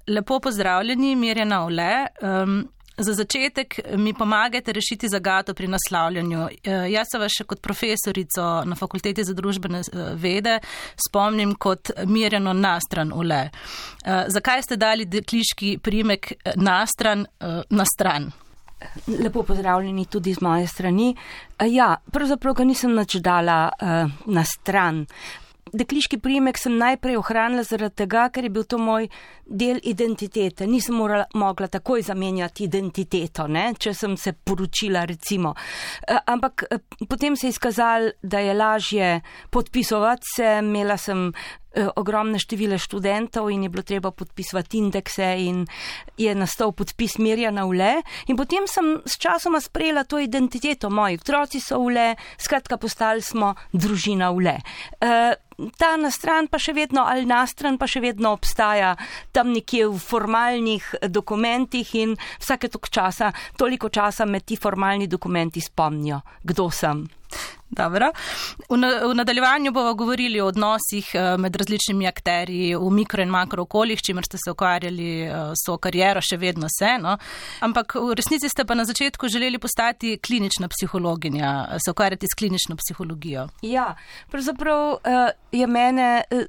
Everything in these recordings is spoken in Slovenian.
Lepo pozdravljeni, Mirjana Ule. Za začetek mi pomagajte rešiti zagato pri naslavljanju. Jaz se vas še kot profesorico na Fakulteti za družbene vede spomnim kot Mirjano Nastran Ule. Zakaj ste dali dekliški priimek Nastran na stran? Lepo pozdravljeni tudi z moje strani. Ja, pravzaprav ga nisem nič dala na stran. Dekliški priimek sem najprej ohranila zaradi tega, ker je bil to moj del identitete. Nisem mogla takoj zamenjati identiteto, ne, če sem se poročila recimo. Ampak potem se je izkazalo, da je lažje podpisovati se, imela sem ogromne število študentov in je bilo treba podpisovati indekse in je nastal podpis Mirjana Ule in potem sem s časoma sprejela to identiteto. Moji otroci so Ule, skratka postali smo družina Ule. Ta nastran pa še vedno, ali nastran pa še vedno obstaja tam nekje v formalnih dokumentih in vsake toliko časa me ti formalni dokumenti spomnijo, kdo sem. Dobro. V nadaljevanju bomo govorili o odnosih med različnimi akterji v mikro in makro okoljih, čimer ste se ukvarjali so kariero, še vedno se, no. Ampak v resnici ste pa na začetku želeli postati klinična psihologinja, se ukvarjati s klinično psihologijo. Ja, pravzaprav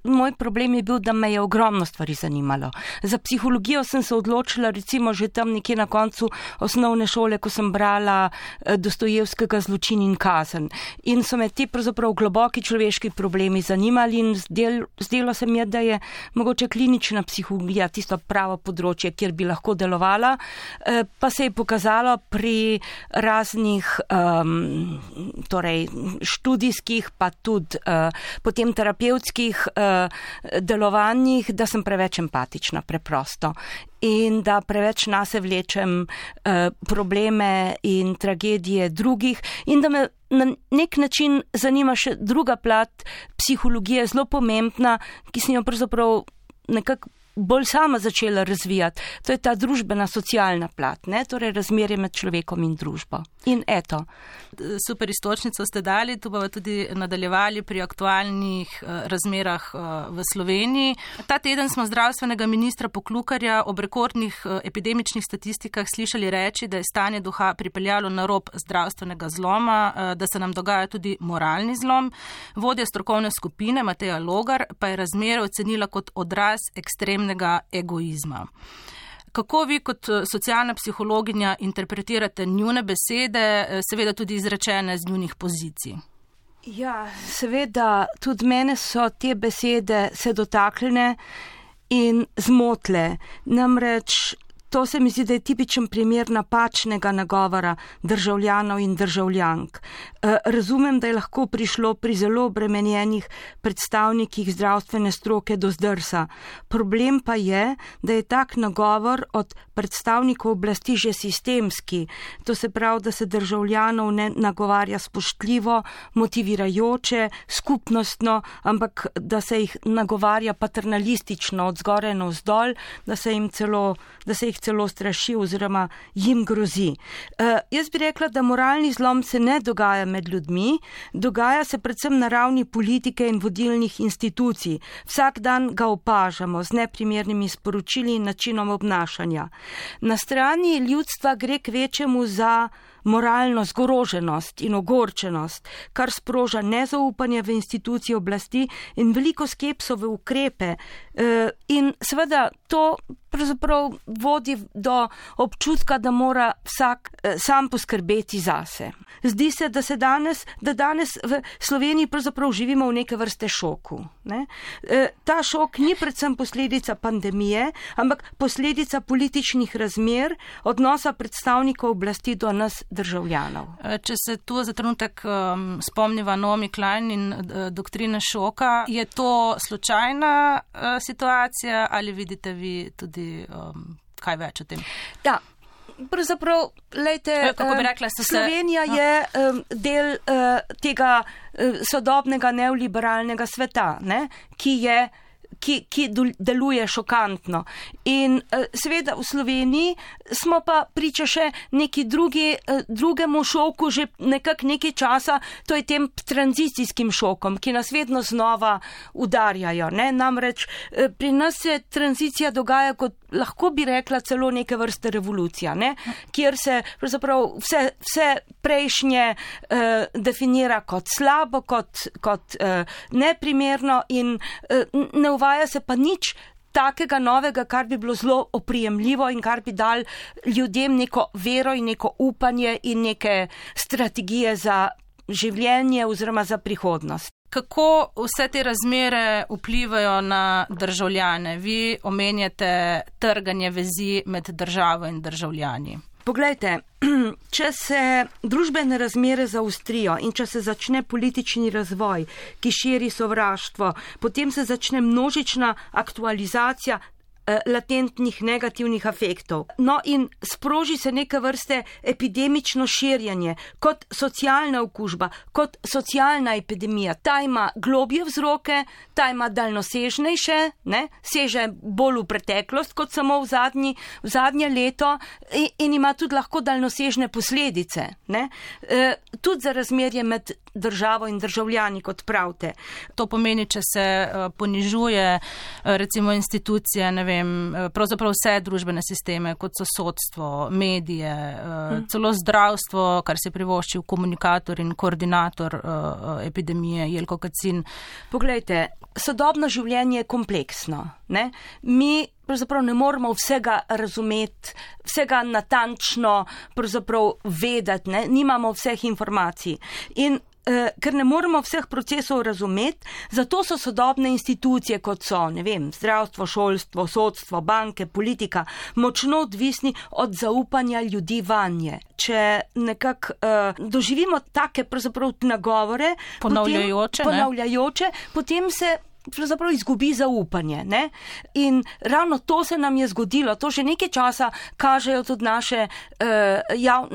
moj problem je bil, da me je ogromno stvari zanimalo. Za psihologijo sem se odločila recimo že tam nekje na koncu osnovne šole, ko sem brala Dostojevskega Zločin in kazen. In so me ti pravzaprav globoki človeški problemi zanimali in zdelo se mi je, da je mogoče klinična psihologija tisto pravo področje, kjer bi lahko delovala, pa se je pokazalo pri raznih študijskih pa tudi potem terapevtskih delovanjih, da sem preveč empatična preprosto in da preveč nase vlečem probleme in tragedije drugih in da me na nek način zanima še druga plat psihologije, zelo pomembna, ki sem jo pravzaprav nekako bolj sama začela razvijati. To je ta družbena, socialna plat, ne? Torej razmerje med človekom in družbo. In eto. Super istočnico ste dali, tu bomo tudi nadaljevali pri aktualnih razmerah v Sloveniji. Ta teden smo zdravstvenega ministra Poklukarja ob rekordnih epidemičnih statistikah slišali reči, da je stanje duha pripeljalo na rob zdravstvenega zloma, da se nam dogaja tudi moralni zlom. Vodja strokovne skupine Mateja Logar pa je razmere ocenila kot odraz ekstremnega egoizma. Kako vi kot socialna psihologinja interpretirate njune besede, seveda tudi izrečene z njunih pozicij? Ja, seveda, tudi mene so te besede se dotaknile in zmotile. Namreč to se mi zdi, da je tipičen primer napačnega nagovora državljanov in državljank. Razumem, da je lahko prišlo pri zelo obremenjenih predstavnikih zdravstvene stroke do zdrsa. Problem pa je, da je tak nagovor od predstavnikov oblasti že sistemski. To se pravi, da se državljanov ne nagovarja spoštljivo, motivirajoče, skupnostno, ampak da se jih nagovarja paternalistično od zgoraj navzdol, da se jih celo straši oziroma jim grozi. Jaz bi rekla, da moralni zlom se ne dogaja med ljudmi, dogaja se predvsem na ravni politike in vodilnih institucij. Vsak dan ga opažamo z neprimernimi sporočili in načinom obnašanja. Na strani ljudstva gre k večjemu za moralno zgroženost in ogorčenost, kar sproža nezaupanje v institucije oblasti in veliko skepso v ukrepe. In seveda to pravzaprav vodi do občutka, da mora vsak sam poskrbeti zase. Zdi se, da danes v Sloveniji pravzaprav živimo v neke vrste šoku. Ne? Ta šok ni predvsem posledica pandemije, ampak posledica političnih razmer, odnosa predstavnikov oblasti do nas državljanov. Če se tu za trenutek spomniva Naomi Klein in doktrine šoka, je to slučajna situacija ali vidite vi tudi kaj več o tem? Da. Pravzaprav, lejte, Slovenija je del tega sodobnega neoliberalnega sveta, ne, ki je ki deluje šokantno. In seveda v Sloveniji smo pa priča še neki drugemu šoku že nekako nekaj časa, to je tem tranzicijskim šokom, ki nas vedno znova udarjajo. Ne? Namreč pri nas se tranzicija dogaja kot, lahko bi rekla, celo neke vrste revolucija, ne? Kjer se pravzaprav vse prejšnje definira kot slabo, kot neprimerno in ne uvaja se pa nič takega novega, kar bi bilo zelo oprijemljivo in kar bi dal ljudem neko vero in neko upanje in neke strategije za življenje oziroma za prihodnost. Kako vse te razmere vplivajo na državljane? Vi omenjate trganje vezi med državo in državljani. Poglejte, če se družbene razmere zaostrijo in če se začne politični razvoj, ki širi sovraštvo, potem se začne množična aktualizacija latentnih negativnih afektov. No in sproži se neke vrste epidemično širjenje, kot socialna okužba, kot socialna epidemija. Ta ima globje vzroke, ta ima daljnosežnejše, ne, seže bolj v preteklost, kot samo v zadnje leto in ima tudi lahko daljnosežne posledice. Ne. Tudi za razmerje med državo in državljani, kot pravite. To pomeni, če se ponižuje recimo institucije, ne vem, pravzaprav vse družbene sisteme, kot so sodstvo, medije, celo zdravstvo, kar se privošči v komunikator in koordinator epidemije, Jelko Kacin. Poglejte, sodobno življenje je kompleksno. Ne? Mi pravzaprav ne moramo vsega razumeti, vsega natančno pravzaprav vedeti, ne? Nimamo vseh informacij. In ker ne moremo vseh procesov razumeti, zato so sodobne institucije, kot so, ne vem, zdravstvo, šolstvo, sodstvo, banke, politika, močno odvisni od zaupanja ljudi vanje. Če nekako doživimo take pravzaprav nagovore, ponavljajoče, potem se pravzaprav izgubi zaupanje. Ne? In ravno to se nam je zgodilo. To že nekaj časa kažejo tudi naše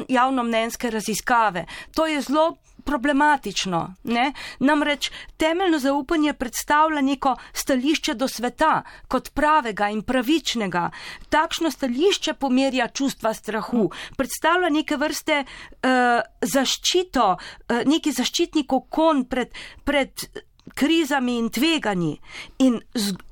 javnomnenjske raziskave. To je zelo problematično. Ne? Namreč temeljno zaupanje predstavlja neko stališče do sveta kot pravega in pravičnega. Takšno stališče pomerja čustva strahu. Predstavlja neke vrste zaščito, neki zaščitni kokon pred krizami in tveganji. In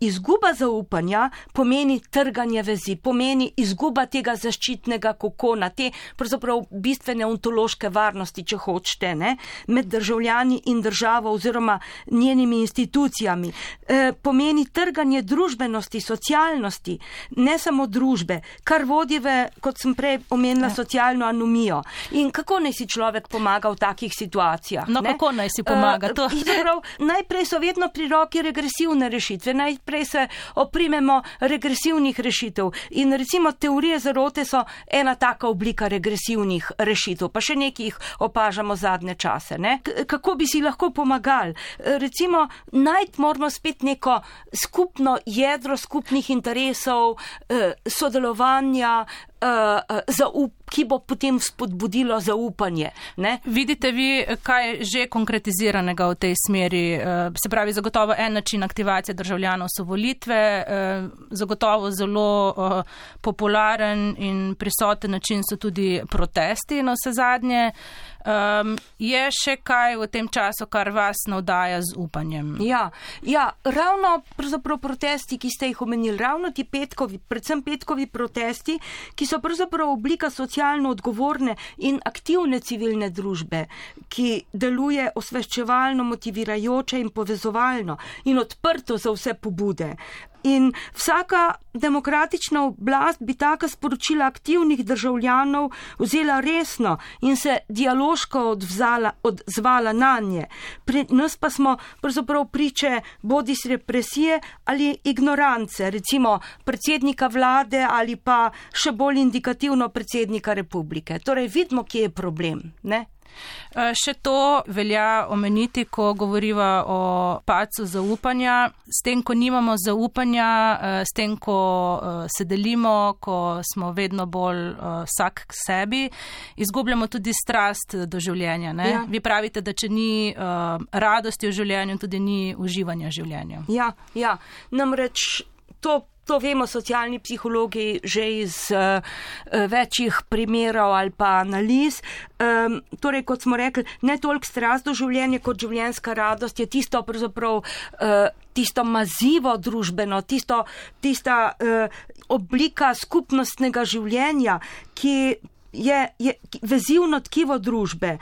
izguba zaupanja pomeni trganje vezi, pomeni izguba tega zaščitnega kokona, te pravzaprav bistvene ontološke varnosti, če hočete, ne, med državljani in državo oziroma njenimi institucijami. Pomeni trganje družbenosti, socialnosti, ne samo družbe, kar vodi v, kot sem prej omenila, socialno anomijo. In kako naj si človek pomaga v takih situacijah? No, ne? Kako naj si pomaga? Najprej so vedno pri roki regresivne rešitve, najprej se oprimemo regresivnih rešitev in recimo teorije zarote so ena taka oblika regresivnih rešitev, pa še nekaj jih opažamo zadnje čase. Ne? Kako bi si lahko pomagali? Recimo, najti moramo spet neko skupno jedro skupnih interesov, sodelovanja, ki bo potem spodbudilo zaupanje. Ne? Vidite vi, kaj je že konkretiziranega v tej smeri? Se pravi, zagotovo en način aktivacije državljanov so volitve, zagotovo zelo popularen in prisoten način so tudi protesti na vse zadnje. Je še kaj v tem času, kar vas navdaja z upanjem? Ja, ravno pravzaprav protesti, ki ste jih omenili, ravno ti petkovi, predvsem petkovi protesti, ki so pravzaprav oblika socialno odgovorne in aktivne civilne družbe, ki deluje osveščevalno, motivirajoče in povezovalno in odprto za vse pobude. In vsaka demokratična oblast bi taka sporočila aktivnih državljanov vzela resno in se dialoško odzvala na nje. Pri nas pa smo pravzaprav priče bodisi represije ali ignorance, recimo predsednika vlade ali pa še bolj indikativno predsednika republike. Torej vidimo, kje je problem. Ne? Še to velja omeniti, ko govoriva o padcu zaupanja. S tem, ko nimamo zaupanja, s tem, ko se delimo, ko smo vedno bolj vsak k sebi, izgubljamo tudi strast do življenja. Ne? Ja. Vi pravite, da če ni radosti v življenju, tudi ni uživanja v življenju. Ja. Namreč to vemo socialni psihologi že iz večjih primerov ali pa analiz. Torej, kot smo rekli, ne toliko strast do življenja kot življenjska radost je tisto pravzaprav tisto mazivo družbeno, tista oblika skupnostnega življenja, ki je vezivno tkivo družbe,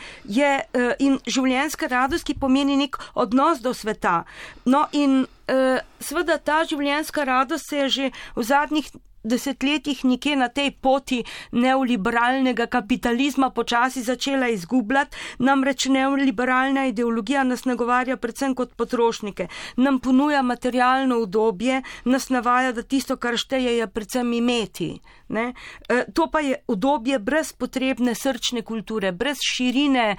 in življenjska radost, ki pomeni nek odnos do sveta. No in seveda ta življenjska radost se je že v zadnjih desetletjih nekje na tej poti neoliberalnega kapitalizma počasi začela izgubljati, namreč neoliberalna ideologija nas nagovarja predvsem kot potrošnike, nam ponuja materialno udobje, nas navaja, da tisto, kar šteje, je predvsem imeti. Ne? To pa je udobje brez potrebne srčne kulture, brez širine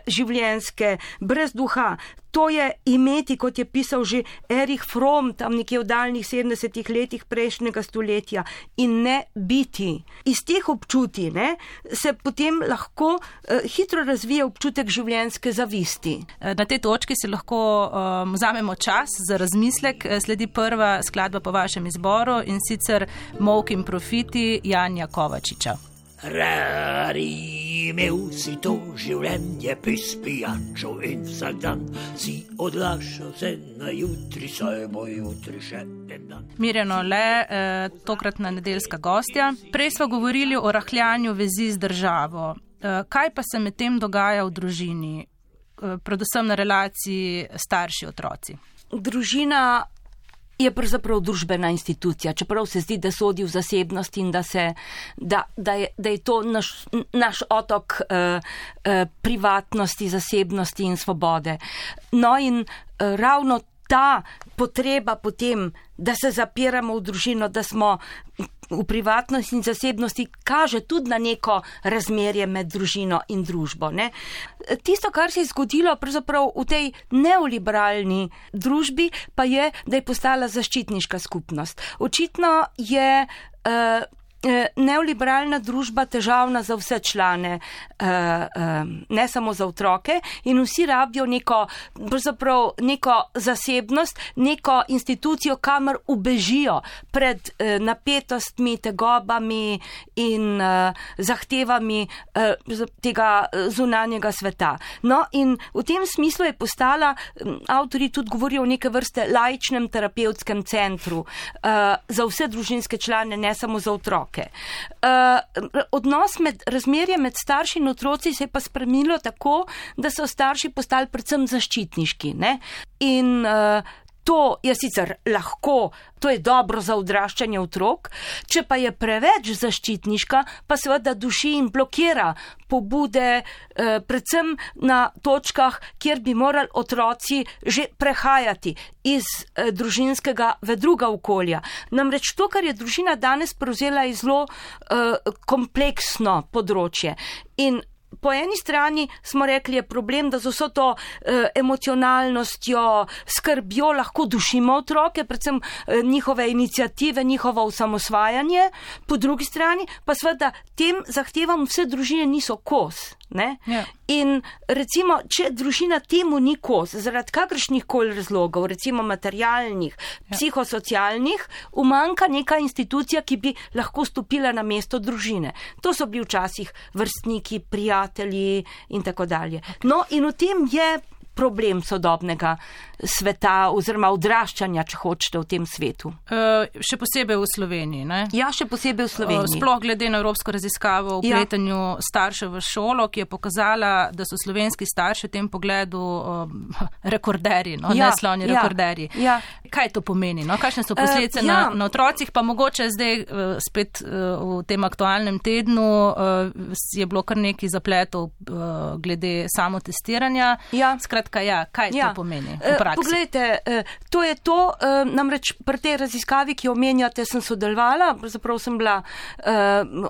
življenjske, brez duha. To je imeti, kot je pisal že Erich Fromm, tam nekje v daljnih 70 letih prejšnjega stoletja, in ne biti. Iz teh občutij se potem lahko hitro razvije občutek življenjske zavisti. Na tej točki si lahko vzamemo čas za razmislek. Sledi prva skladba po vašem izboru, in sicer Molk in profiti Janja Kovačiča. Rari imel si to življenje pis pijačo in vsak dan si odlašal se na jutri, saj bo jutri še en dan. Mirjano Le, tokratna nedeljska gostja. Prej smo govorili o rahljanju vezi z državo. Kaj pa se med tem dogaja v družini, predvsem na relaciji starši-otroci? Družina je pravzaprav družbena institucija, čeprav se zdi, da sodi v zasebnost in da je to naš otok privatnosti, zasebnosti in svobode. No in ravno ta potreba potem, da se zapiramo v družino, da smo v privatnosti in zasebnosti, kaže tudi na neko razmerje med družino in družbo. Ne? Tisto, kar se je zgodilo pravzaprav v tej neoliberalni družbi, pa je, da je postala zaščitniška skupnost. Očitno je neoliberalna družba težavna za vse člane, ne samo za otroke, in vsi rabijo neko zasebnost, neko institucijo, kamor ubežijo pred napetostmi, tegobami in zahtevami tega zunanjega sveta. No in v tem smislu je postala, avtori tudi govorijo o neke vrste laičnem terapevtskem centru za vse družinske člane, ne samo za otroke. Razmerje med starši in otroci se je pa spremenilo tako, da so starši postali predvsem zaščitniški. Ne? In to je sicer lahko, to je dobro za odraščanje otrok, če pa je preveč zaščitniška, pa seveda duši in blokira pobude, predvsem na točkah, kjer bi morali otroci že prehajati iz družinskega v druga okolja. Namreč to, kar je družina danes prevzela, je zelo kompleksno področje. In po eni strani smo rekli, je problem, da z vso to emocionalnostjo, skrbjo lahko dušimo otroke, predvsem njihove iniciative, njihovo osamosvajanje, po drugi strani pa seveda tem zahtevam vse družine niso kos. Ja. In recimo, če družina temu ni kos, zaradi kakršnih koli razlogov, recimo materialnih, psihosocialnih, umanjka neka institucija, ki bi lahko stopila na mesto družine. To so bili včasih vrstniki, prijatelji in tako dalje. No, in v tem je problem sodobnega sveta oziroma odraščanja, če hočete, v tem svetu. Še posebej v Sloveniji, ne? Ja, še posebej v Sloveniji. Sploh glede na evropsko raziskavo o vpletanju staršev v šolo, ki je pokazala, da so slovenski starši v tem pogledu rekorderji, neslavni rekorderji. Kaj to pomeni? No? Kakšne so posledice na otrocih? Pa mogoče zdaj spet v tem aktualnem tednu je bilo kar nekaj zapletov glede samotestiranja. Skratka, kaj to pomeni v praksi? Poglejte, to je to, namreč pri tej raziskavi, ki jo omenjate, sem sodelovala, pravzaprav sem bila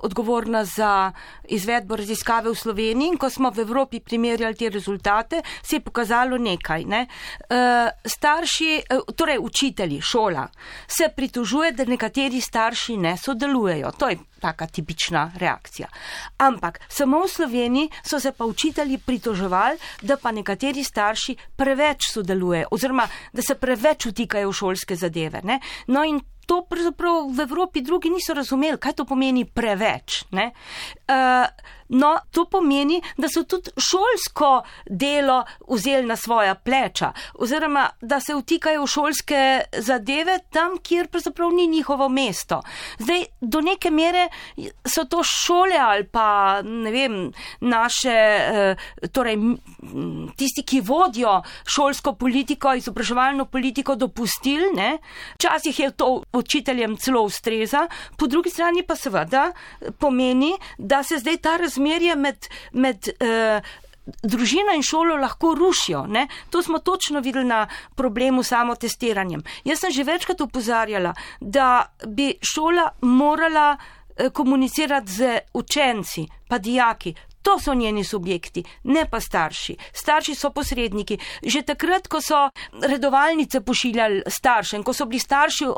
odgovorna za izvedbo raziskave v Sloveniji in ko smo v Evropi primerjali te rezultate, se je pokazalo nekaj. Ne? Starši, torej učitelji, šola, se pritožuje, da nekateri starši ne sodelujejo. To je taka tipična reakcija. Ampak samo v Sloveniji so se pa učitelji pritoževali, da pa nekateri starši preveč sodelujejo oziroma da se preveč vtikajo v šolske zadeve. Ne? No in to pravzaprav v Evropi drugi niso razumeli, kaj to pomeni preveč. Ne? No, to pomeni, da so tudi šolsko delo vzeli na svoja pleča, oziroma da se vtikajo v šolske zadeve tam, kjer pravzaprav ni njihovo mesto. Zdaj, do neke mere so to šole ali pa, ne vem, naše, torej tisti, ki vodijo šolsko politiko, izobraževalno politiko, dopustili, ne? Včasih je to učiteljem celo ustreza, po drugi strani pa seveda pomeni, da se zdaj ta razmerje med družino in šolo lahko rušijo. Ne? To smo točno videli na problemu samotestiranjem. Jaz sem že večkrat opozarjala, da bi šola morala komunicirati z učenci, pa dijaki. To so njeni subjekti, ne pa starši. Starši so posredniki. Že takrat, ko so redovalnice pošiljali staršem, ko so bili starši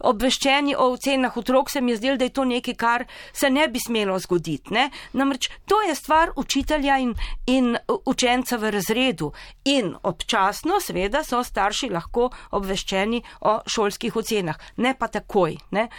obveščeni o ocenah otrok, se mi je zdelo, da je to nekaj, kar se ne bi smelo zgoditi. Ne? Namreč to je stvar učitelja in učenca v razredu. In občasno, seveda, so starši lahko obveščeni o šolskih ocenah. Ne pa takoj. Ne?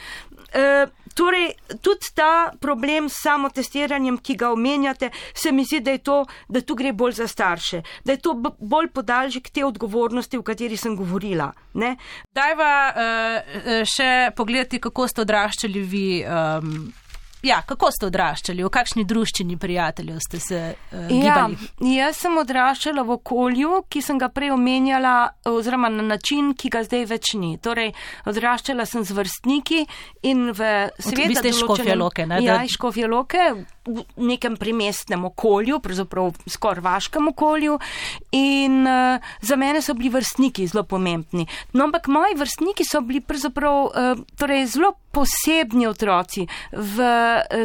Torej, tudi ta problem s samotestiranjem, ki ga omenjate, se mi zdi, da tu gre bolj za starše, da je to bolj podaljšek te odgovornosti, o kateri sem govorila. Ne? Dajva še pogledati, kako ste odraščali vi. Kako ste odraščali? V kakšni druščini prijateljev ste se gibali? Jaz sem odraščala v okolju, ki sem ga prej omenjala, oziroma na način, ki ga zdaj več ni. Torej, odraščala sem z vrstniki in v sveda določenem... Vi ste iz Škofje Loke, ne? Ja, iz Škofje Loke, v nekem primestnem okolju, pravzaprav skoraj vaškem okolju in za mene so bili vrstniki zelo pomembni. No, ampak moji vrstniki so bili pravzaprav zelo posebni otroci. V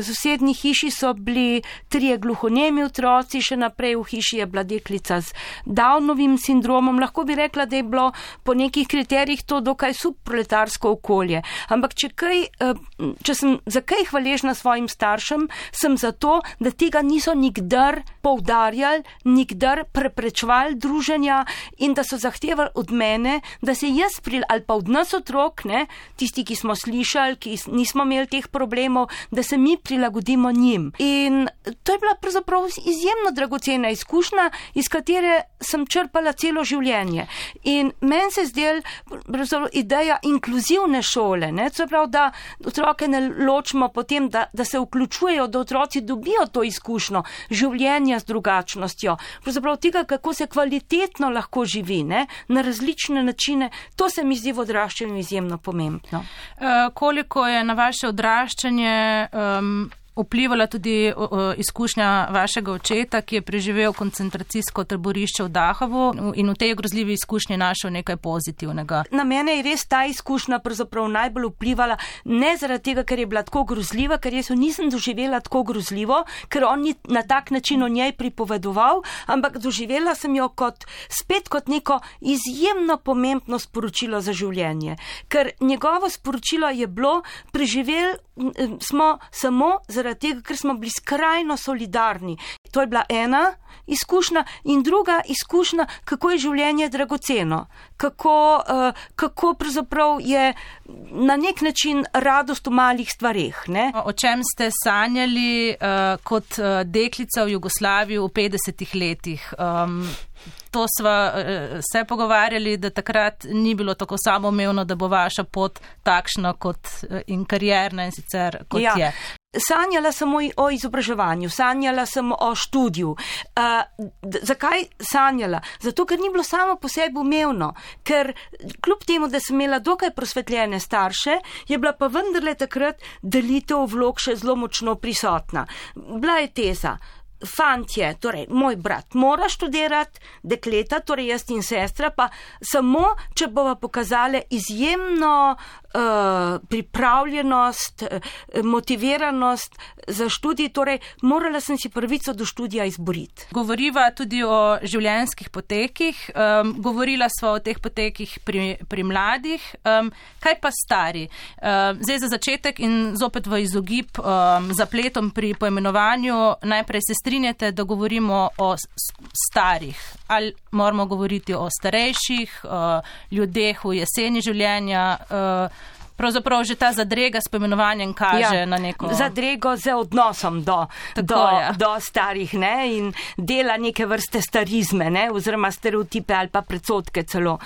sosednji hiši so bili 3 gluhonemi otroci, še naprej v hiši je bila deklica z Downovim sindromom. Lahko bi rekla, da je bilo po nekih kriterijih to dokaj subproletarsko okolje. Ampak če sem za kaj hvaležna svojim staršem, sem zato, da tega niso nikdar poudarjali, nikdar preprečevali druženja in da so zahtevali od mene, da se jaz ali pa od nas otrok, ne, tisti, ki smo slišali, ki nismo imeli teh problemov, da se mi prilagodimo njim. In to je bila pravzaprav izjemno dragocena izkušnja, iz katere sem črpala celo življenje. In meni se zdel ideja inkluzivne šole, ne, to je prav, da otroke ne ločimo potem, da se vključujejo, da otroci dobijo to izkušnjo življenja z drugačnostjo. Pravzaprav tega, kako se kvalitetno lahko živi, ne, na različne načine, to se mi zdi v odraščanju izjemno pomembno. Koliko je na vaše odraščanje vplivala tudi izkušnja vašega očeta, ki je preživel koncentracijsko taborišče v Dachavu in v tej grozljivi izkušnji našel nekaj pozitivnega. Na mene je res ta izkušnja pravzaprav najbolj vplivala, ne zaradi tega, ker je bila tako grozljiva, ker jaz jo nisem doživela tako grozljivo, ker on ni na tak način o njej pripovedoval, ampak doživela sem jo spet kot neko izjemno pomembno sporočilo za življenje. Ker njegovo sporočilo je bilo, preživeli smo samo zaradi tega, ker smo bili skrajno solidarni. To je bila ena izkušnja in druga izkušnja, kako je življenje dragoceno, kako pravzaprav je na nek način radost v malih stvareh. Ne? O čem ste sanjali kot deklica v Jugoslaviji v 50 letih? To sva se pogovarjali, da takrat ni bilo tako samoumevno, da bo vaša pot takšna in karierna in sicer kot je. sanjala sem o izobraževanju, sanjala sem o študiju. Zakaj sanjala? Zato, ker ni bilo samo po sebi umevno, ker kljub temu, da sem imela dokaj prosvetljene starše, je bila pa vendarle takrat delitev vlog še zelo močno prisotna. Bila je teza. Fantje, torej moj brat mora študirati, dekleta, torej jaz in sestra, pa samo, če bova pokazale izjemno pripravljenost, motiviranost za študij, torej morala sem si pravico do študija izboriti. Govoriva tudi o življenjskih potekih, govorila sva o teh potekih pri mladih, kaj pa stari? Zdaj za začetek in zopet v izogib zapletom pri poimenovanju, najprej se strinjate, da govorimo o starih, ali moramo govoriti o starejših, ljudeh v jeseni življenja, pravzaprav že ta zadrega s poimenovanjem kaže na neko... Zadrego z odnosom do starih, ne, in dela neke vrste starizme, ne, oziroma stereotipe ali pa predsodke celo.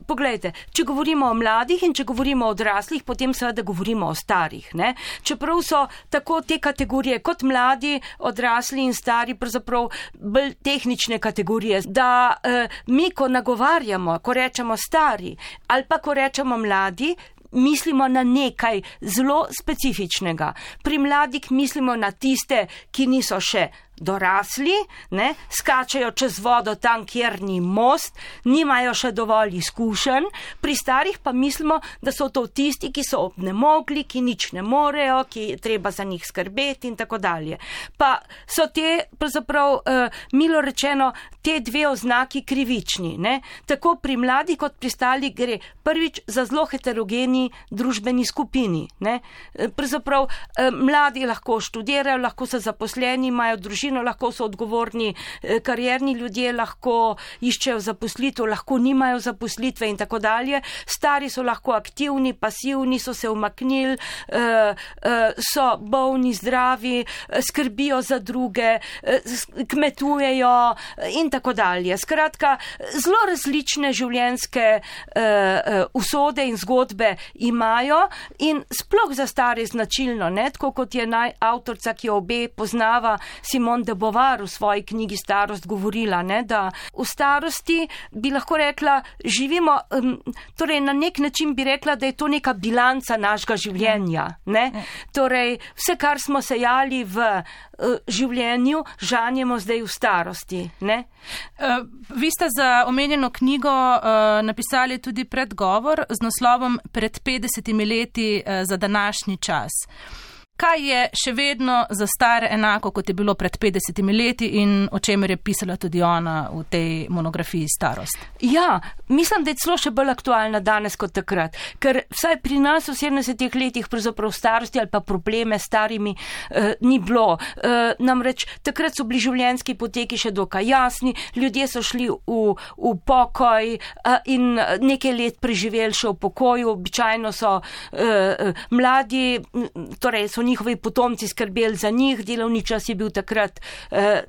Poglejte, če govorimo o mladih in če govorimo o odraslih, potem seveda govorimo o starih, ne. Čeprav so tako te kategorije kot mladi, odrasli in stari pravzaprav bolj tehnične kategorije, da mi, ko nagovarjamo, ko rečemo stari ali pa ko rečemo mladi, mislimo na nekaj zelo specifičnega. Pri mladih mislimo na tiste, ki niso še dorasli, ne, skačajo čez vodo tam, kjer ni most, nimajo še dovolj izkušenj. Pri starih pa mislimo, da so to tisti, ki so obnemogli, ki nič ne morejo, ki je treba za njih skrbeti in tako dalje. Pa so te, pravzaprav, milo rečeno, te dve oznaki krivični, ne. Tako pri mladih kot pri starih gre prvič za zelo heterogeni družbeni skupini, ne. Pravzaprav, mladi lahko študirajo, lahko so zaposleni, imajo družino, lahko so odgovorni karierni ljudje, lahko iščejo zaposlitev, lahko nimajo zaposlitve in tako dalje. Stari so lahko aktivni, pasivni, so se umaknili, so bolni, zdravi, skrbijo za druge, kmetujejo in tako dalje. Skratka, zelo različne življenjske usode in zgodbe imajo in sploh za stare značilno, ne, tako kot je avtorica, ki jo obe poznava, Simone de Beauvoir v svoji knjigi Starost govorila, ne, da v starosti bi lahko rekla, živimo, torej na nek način bi rekla, da je to neka bilanca našega življenja, ne. Torej, vse, kar smo sejali v življenju, žanjemo zdaj v starosti, ne. Vi ste za omenjeno knjigo napisali tudi predgovor z naslovom Pred 50 leti za današnji čas. Kaj je še vedno za stare enako, kot je bilo pred 50 leti in o čemer je pisala tudi ona v tej monografiji Starost? Ja, mislim, da je celo še bolj aktualna danes kot takrat, ker vsaj pri nas v 70 letih pravzaprav starosti ali pa probleme s starimi ni bilo. Namreč takrat so bili življenjski poteki še dokaj jasni, ljudje so šli v pokoj in nekaj let preživeli še v pokoju, običajno so mladi, torej so njihovi potomci skrbeli za njih, delovni čas je bil takrat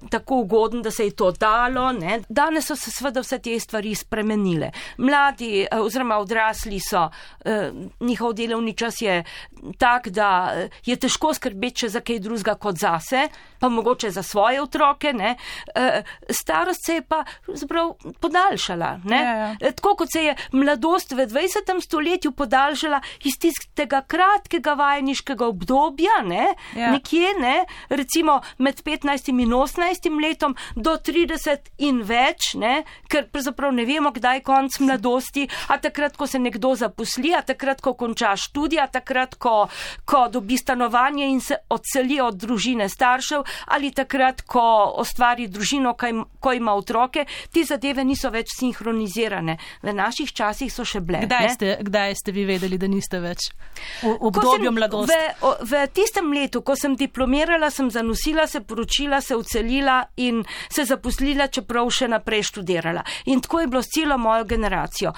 tako ugoden, da se je to dalo, ne. Danes so se seveda vse te stvari spremenile. Mladi oziroma odrasli so, njihov delovni čas je tak, da je težko skrbeti še za kaj drugega kot zase, pa mogoče za svoje otroke, ne. Starost se je pa podaljšala, ne. Tako kot se je mladost v 20. stoletju podaljšala iz tistega kratkega vajeniškega obdobja, ne, nekje, ne, recimo med 15 in 18 letom do 30 in več, ne, ker pravzaprav ne vemo, kdaj konc mladosti, a takrat, ko se nekdo zaposli, a takrat, ko konča študij, a takrat, ko dobi stanovanje in se odseli od družine staršev, ali takrat, ko ustvari družino, ko ima otroke, ti zadeve niso več sinhronizirane. V naših časih so še bile. Kdaj ste vi vedeli, da niste več v obdobju mladosti? V tistem letu, ko sem diplomirala, sem zanosila, se poročila, se odselila in se zaposlila, čeprav še naprej študirala. In tako je bilo s celo mojo generacijo.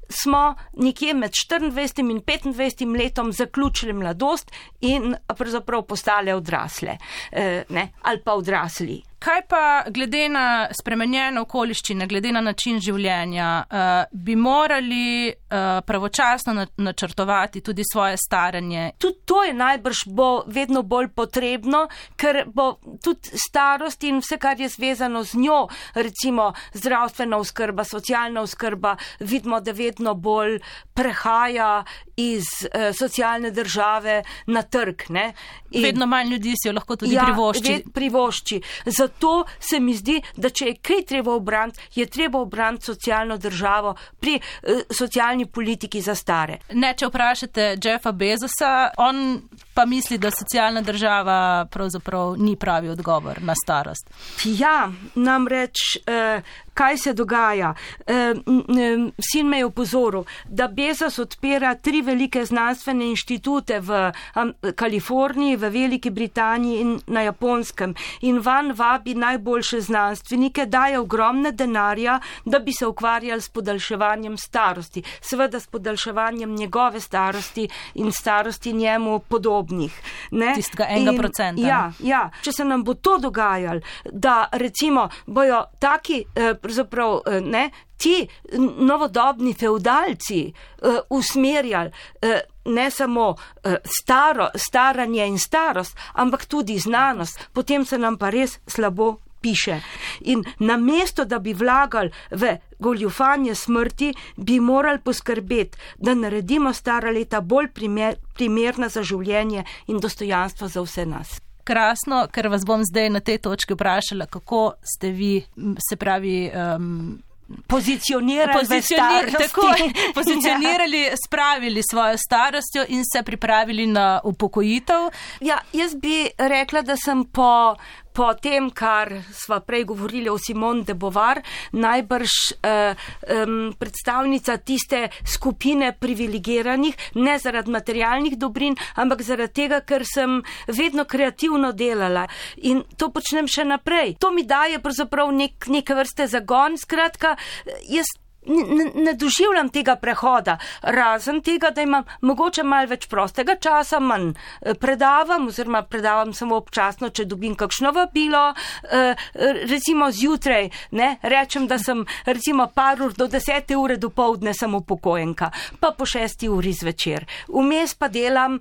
Smo nekje med 24 in 25 letom zaključili mladost in pravzaprav postale odrasle, ne, ali pa odrasli. Kaj pa glede na spremenjene okoliščine, glede na način življenja, bi morali pravočasno načrtovati tudi svoje staranje? Tudi to je najbrž bo vedno bolj potrebno, ker bo tudi starost in vse, kar je zvezano z njo, recimo zdravstvena oskrba, socialna oskrba, vidimo, da vedno bolj prehaja iz socialne države na trg. Ne? Vedno manj ljudi si jo lahko tudi privošči. Zato se mi zdi, da če je kaj treba obraniti, je treba obraniti socialno državo pri socialni politiki za stare. Ne, če vprašate Jeffa Bezosa, on pa misli, da socialna država pravzaprav ni pravi odgovor na starost. Ja, namreč kaj se dogaja? Sin me je opozoril, da Bezos odpira 3 velike znanstvene inštitute v Kaliforniji, v Veliki Britaniji in na Japonskem. In van vabi najboljše znanstvenike, daje ogromne denarja, da bi se ukvarjali s podaljševanjem starosti. Seveda s podaljševanjem njegove starosti in starosti njemu podobnih. Tistega 1%. Ja. Če se nam bo to dogajalo, da recimo bojo taki ti novodobni feudalci usmerjali ne samo staranje in starost, ampak tudi znanost, potem se nam pa res slabo piše. In namesto, da bi vlagali v goljufanje smrti, bi morali poskrbeti, da naredimo stara leta bolj primerna za življenje in dostojanstvo za vse nas. Krasno, ker vas bom zdaj na tej točki vprašala, kako ste vi, se pravi, pozicionirali, spravili svojo starostjo in se pripravili na upokojitev. Ja, jaz bi rekla, da sem po tem, kar sva prej govorili o Simone de Beauvoir, najbrž predstavnica tiste skupine privilegiranih, ne zaradi materialnih dobrin, ampak zaradi tega, ker sem vedno kreativno delala in to počnem še naprej. To mi daje pravzaprav neke vrste zagon, skratka, jaz ne doživljam tega prehoda, razen tega, da imam mogoče malo več prostega časa, manj predavam samo občasno, če dobim kakšno vabilo, recimo zjutraj, rečem, da sem recimo par ur do 10. ure dopoldne sem upokojenka, pa po 6. uri zvečer. Vmes pa delam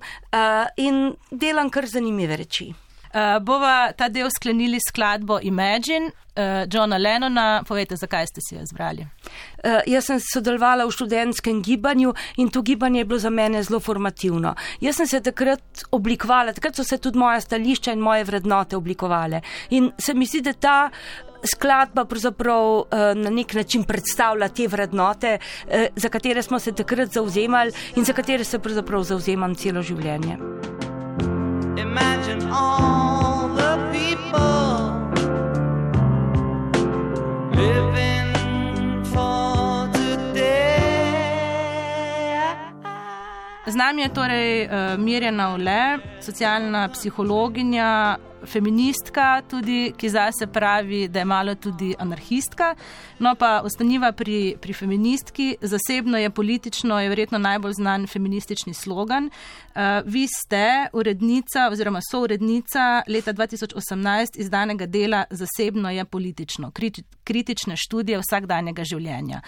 in delam kar zanimive reči. Bova ta del sklenili skladbo Imagine Johna Lennona. Povejte, zakaj ste si jo izbrali? Jaz sem sodelovala v študentskem gibanju in to gibanje je bilo za mene zelo formativno. Jaz sem se takrat oblikovala, takrat so se tudi moja stališča in moje vrednote oblikovale. In se mi zdi, da ta skladba pravzaprav na nek način predstavlja te vrednote, za katere smo se takrat zauzemali in za katere se pravzaprav zauzemam celo življenje. Imagine all the people living for today. Z nami je torej Mirjana Ole, socialna psihologinja, feministka tudi, ki zase pravi, da je malo tudi anarhistka. No pa ostaniva pri feministki. Zasebno je politično, je verjetno najbolj znan feministični slogan. Vi ste urednica oziroma sourednica leta 2018 izdanega dela Zasebno je politično, kritične študije vsakdanjega življenja.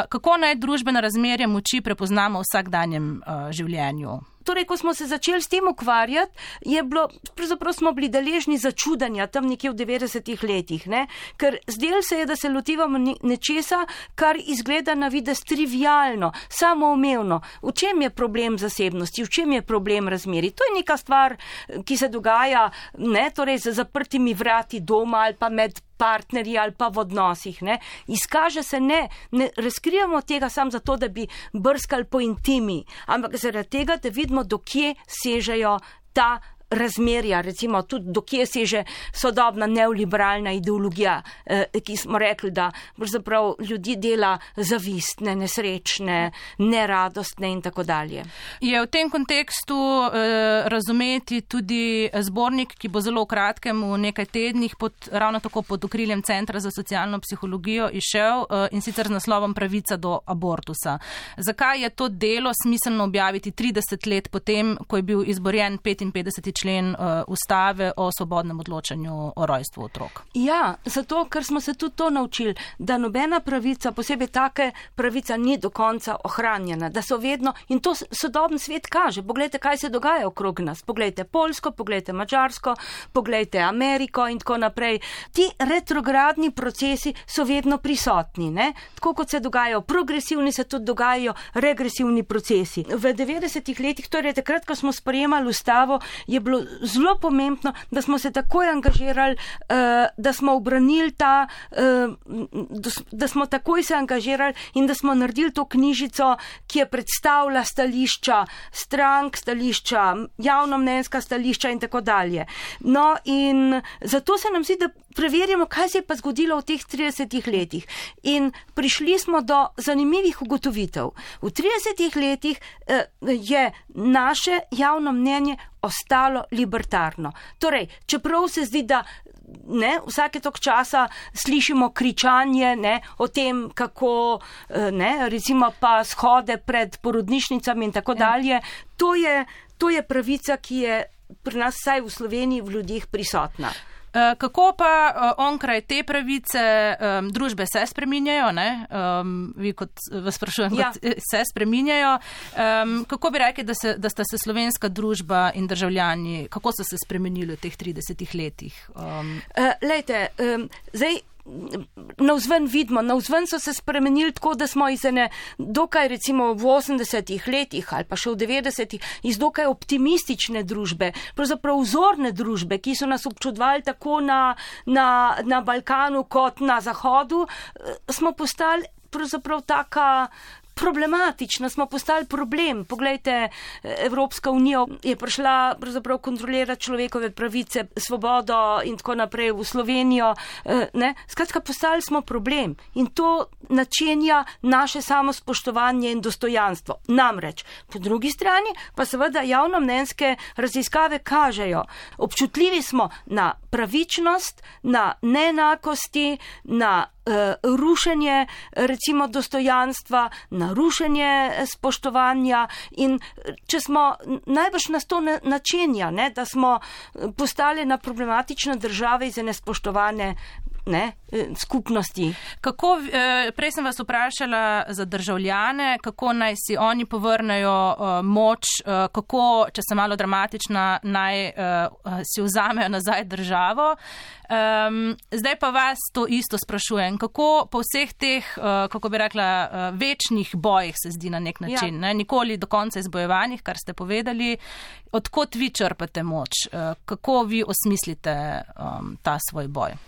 Kako naj družbena razmerja moči prepoznamo v vsakdanjem življenju? Torej, ko smo se začeli s tem ukvarjati, pravzaprav smo bili deležni začudanja tam nekje v 90-ih letih, ker zdelo se je, da se lotivamo nečesa, kar izgleda na videz trivialno, samoumevno. V čem je problem zasebnosti, v čem je problem razmeri? To je neka stvar, ki se dogaja, torej za zaprtimi vrati doma ali pa med partnerji ali pa v odnosih. Izkaže se ne razkrijamo tega samo zato, da bi brskali po intimi, ampak zaradi tega, da vidimo, do kje sežejo ta razmerja, recimo tudi do kje seže sodobna neoliberalna ideologija, ki smo rekli, da pravzaprav ljudi dela zavistne, nesrečne, neradostne in tako dalje. Je v tem kontekstu razumeti tudi zbornik, ki bo zelo v kratkem v nekaj tednih ravno tako pod okriljem Centra za socialno psihologijo izšel in sicer z naslovom Pravica do abortusa. Zakaj je to delo smiselno objaviti 30 let potem, ko je bil izborjen 55. člen ustave o svobodnem odločanju o rojstvu otrok. Ja, zato, ker smo se tudi to naučili, da nobena pravica, posebej take pravica ni do konca ohranjena, da so vedno, in to sodobni svet kaže, poglejte, kaj se dogaja okrog nas, poglejte Poljsko, poglejte Madžarsko, poglejte Ameriko in tako naprej. Ti retrogradni procesi so vedno prisotni, ne? Tako kot se dogajajo progresivni, se tudi dogajajo regresivni procesi. V 90-ih letih, torej takrat, ko smo sprejemali ustavo, je bilo zelo pomembno, da smo se takoj angažirali, da smo obranili da smo takoj se angažirali in da smo naredili to knjižico, ki je predstavila stališča strank, stališča javnomnenjska stališča in tako dalje. No in zato se nam zdi, da preverjamo, kaj se je pa zgodilo v teh 30 letih. In prišli smo do zanimivih ugotovitev. V 30 letih je naše javno mnenje ostalo libertarno. Torej, čeprav se zdi, da vsake tok časa slišimo kričanje o tem, kako recimo pa shode pred porodnišnicami in tako dalje. To je pravica, ki je pri nas, vsaj v Sloveniji, v ljudeh prisotna. Kako pa onkraj te pravice družbe se spreminjajo, ne? Vi kot vas sprašujem, kot se spreminjajo. Kako bi rekli, da sta se slovenska družba in državljani, kako so se spremenili v teh 30 letih? Lejte, zdaj navzven vidimo, navzven so se spremenili tako, da smo iz ene dokaj recimo v 80-ih letih ali pa še v 90-ih iz dokaj optimistične družbe, pravzaprav vzorne družbe, ki so nas občudovali tako na Balkanu kot na Zahodu, smo postali pravzaprav taka problematična, smo postali problem. Poglejte, Evropska unija je prišla pravzaprav kontrolirati človekove pravice, svobodo in tako naprej v Slovenijo. Skratka, postali smo problem in to načenja naše samospoštovanje in dostojanstvo. Namreč, po drugi strani pa seveda javnomnenjske raziskave kažejo, občutljivi smo na pravičnost, na neenakosti, na rušenje recimo dostojanstva, na rušenje spoštovanja in če smo najbrž nas to načenja, da smo postali na problematične države iz nespoštovane skupnosti. Prej sem vas vprašala za državljane, kako naj si oni povrnejo moč, kako, če sem malo dramatična, naj si vzamejo nazaj državo. Zdaj pa vas to isto sprašujem. Kako po vseh teh, kako bi rekla, večnih bojih se zdi na nek način, nikoli do konca izbojevanih, kar ste povedali, odkot vi črpate moč? Kako vi osmislite ta svoj boj?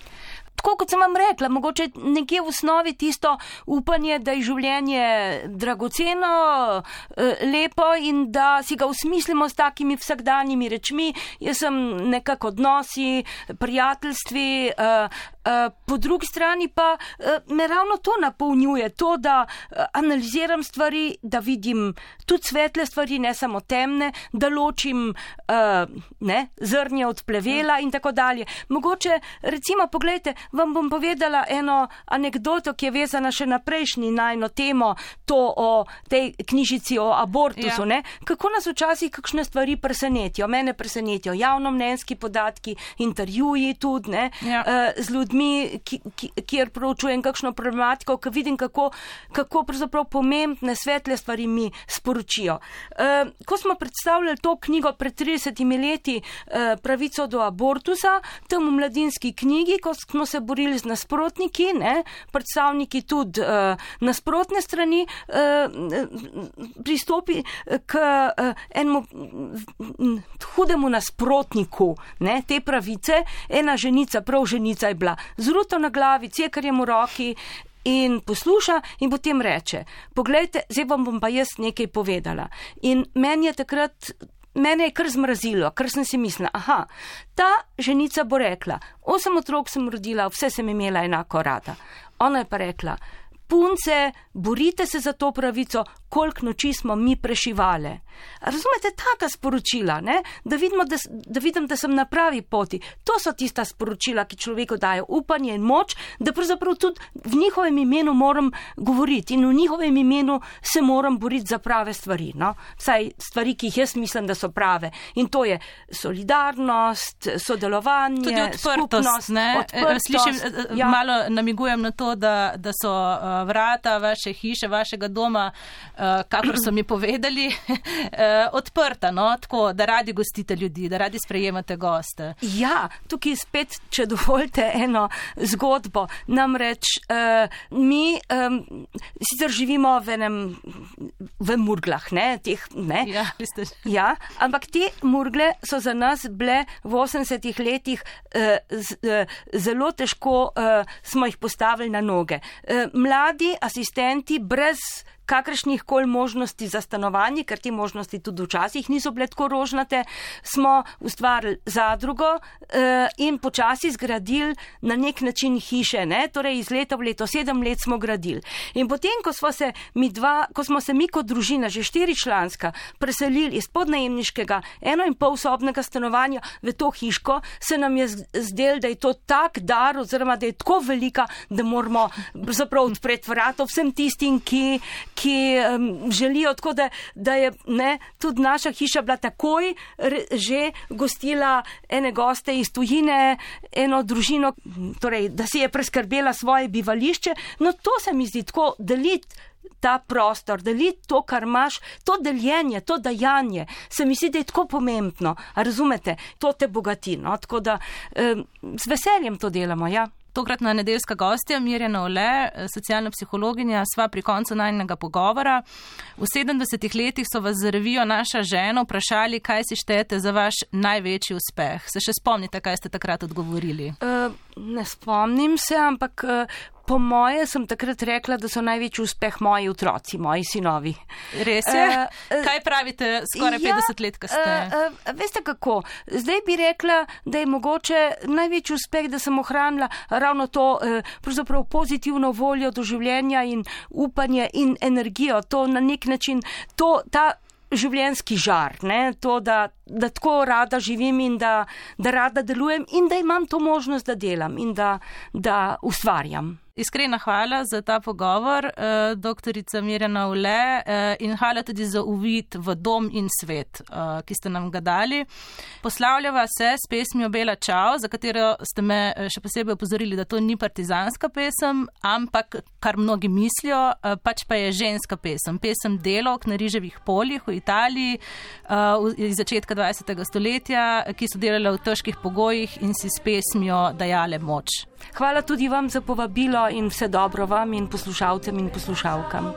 Tako kot sem vam rekla, mogoče nekje v osnovi tisto upanje, da je življenje dragoceno, lepo in da si ga usmislimo s takimi vsakdanjimi rečmi. Jaz sem nekako odnosi, prijateljstvi, po drugi strani pa me ravno to napolnjuje, to, da analiziram stvari, da vidim tudi svetle stvari, ne samo temne, da ločim zrnje od plevela in tako dalje. Mogoče, recimo, poglejte, vam bom povedala eno anekdoto, ki je vezana še na prejšnji najno temo, to o tej knjižici o abortusu. Kako nas včasih kakšne stvari presenetijo. Mene presenetijo javnomnenjski podatki, intervjuji tudi, z ljudmi, kjer proučujem kakšno problematiko, ko vidim, kako pravzaprav pomembne svetle stvari mi sporočijo. Ko smo predstavljali to knjigo pred 30 leti, Pravico do abortusa, tam v Mladinski knjigi, ko smo se borili z nasprotniki, predstavniki tudi nasprotne strani, pristopi k enemu hudemu nasprotniku te pravice, ena ženica, prav ženica je bila z ruto na glavi, cekarjem v roki in posluša in potem reče, poglejte, zdaj vam bom pa jaz nekaj povedala. In mene je kar zmrazilo, ker sem si mislila, ta ženica bo rekla, 8 otrok sem rodila, vse sem imela enako rada. Ona je pa rekla, punce, borite se za to pravico, koliko noči smo mi prešivale. Razumete, taka sporočila, ne? Da vidim, da sem na pravi poti. To so tista sporočila, ki človeku dajo upanje in moč, da pravzaprav tudi v njihovem imenu moram govoriti in v njihovem imenu se moram boriti za prave stvari. No? Vsaj stvari, ki jih jaz mislim, da so prave. In to je solidarnost, sodelovanje, tudi odprtost, skupnost, odprtost. Slišim, malo namigujem na to, da so vrata vaše hiše, vašega doma, kakor so mi povedali, odprta, no? Tako, da radi gostite ljudi, da radi sprejemate goste. Ja, tukaj spet, če dovolite eno zgodbo. Namreč mi sicer živimo v Murglah, ne? Ne? Ja, veste. Ja, ampak te Murgle so za nas bile v 80-ih letih zelo težko smo jih postavili na noge. Mladi asistenti brez kakršnih koli možnosti za stanovanje, ker te možnosti tudi včasih niso bile tako rožnate, smo ustvarili zadrugo in počasi zgradili na nek način hiše, ne? Torej iz leta v leto, 7 let smo gradili. In potem, ko smo se mi kot družina, že 4-članska, preselili iz podnajemniškega 1,5-sobnega stanovanja v to hiško, se nam je zdelo, da je to tak dar, oziroma da je tako velika, da moramo zapravo odpreti vrata vsem tistim, ki želijo, tako da je tudi naša hiša bila takoj že gostila ene goste iz tujine, eno družino, torej, da si je preskrbela svoje bivališče. No, to se mi zdi tako, deliti ta prostor, deliti to, kar imaš, to deljenje, to dajanje, se mi zdi, da je tako pomembno. A razumete? To te bogati, no? Tako da z veseljem to delamo, ja. Tokratna nedeljska gostja Mirjana Ole, socialna psihologinja, sva pri koncu najnega pogovora. V 70 letih so vas za revijo Naša žena vprašali, kaj si štejete za vaš največji uspeh. Se še spomnite, kaj ste takrat odgovorili? Ne spomnim se, ampak po moje sem takrat rekla, da so največji uspeh moji otroci, moji sinovi. Res je? Kaj pravite skoraj 50 let kasneje? Veste kako, zdaj bi rekla, da je mogoče največji uspeh, da sem ohranila ravno to pravzaprav pozitivno voljo do življenja in upanje in energijo. To na nek način, ta življenjski žar, ne? To, da tako rada živim in da rada delujem in da imam to možnost, da delam in da ustvarjam. Iskrena hvala za ta pogovor, doktorica Mirjana Ole, in hvala tudi za uvid v dom in svet, ki ste nam ga dali. Poslavljava se s pesmijo Bela čao, za katero ste me še posebej opozorili, da to ni partizanska pesem, ampak, kar mnogi mislijo, pač pa je ženska pesem. Pesem delovk na riževih poljih v Italiji iz začetka 20. stoletja, ki so delale v težkih pogojih in si s pesmijo dajale moč. Hvala tudi vam za povabilo in vse dobro vam in poslušalcem in poslušalkam.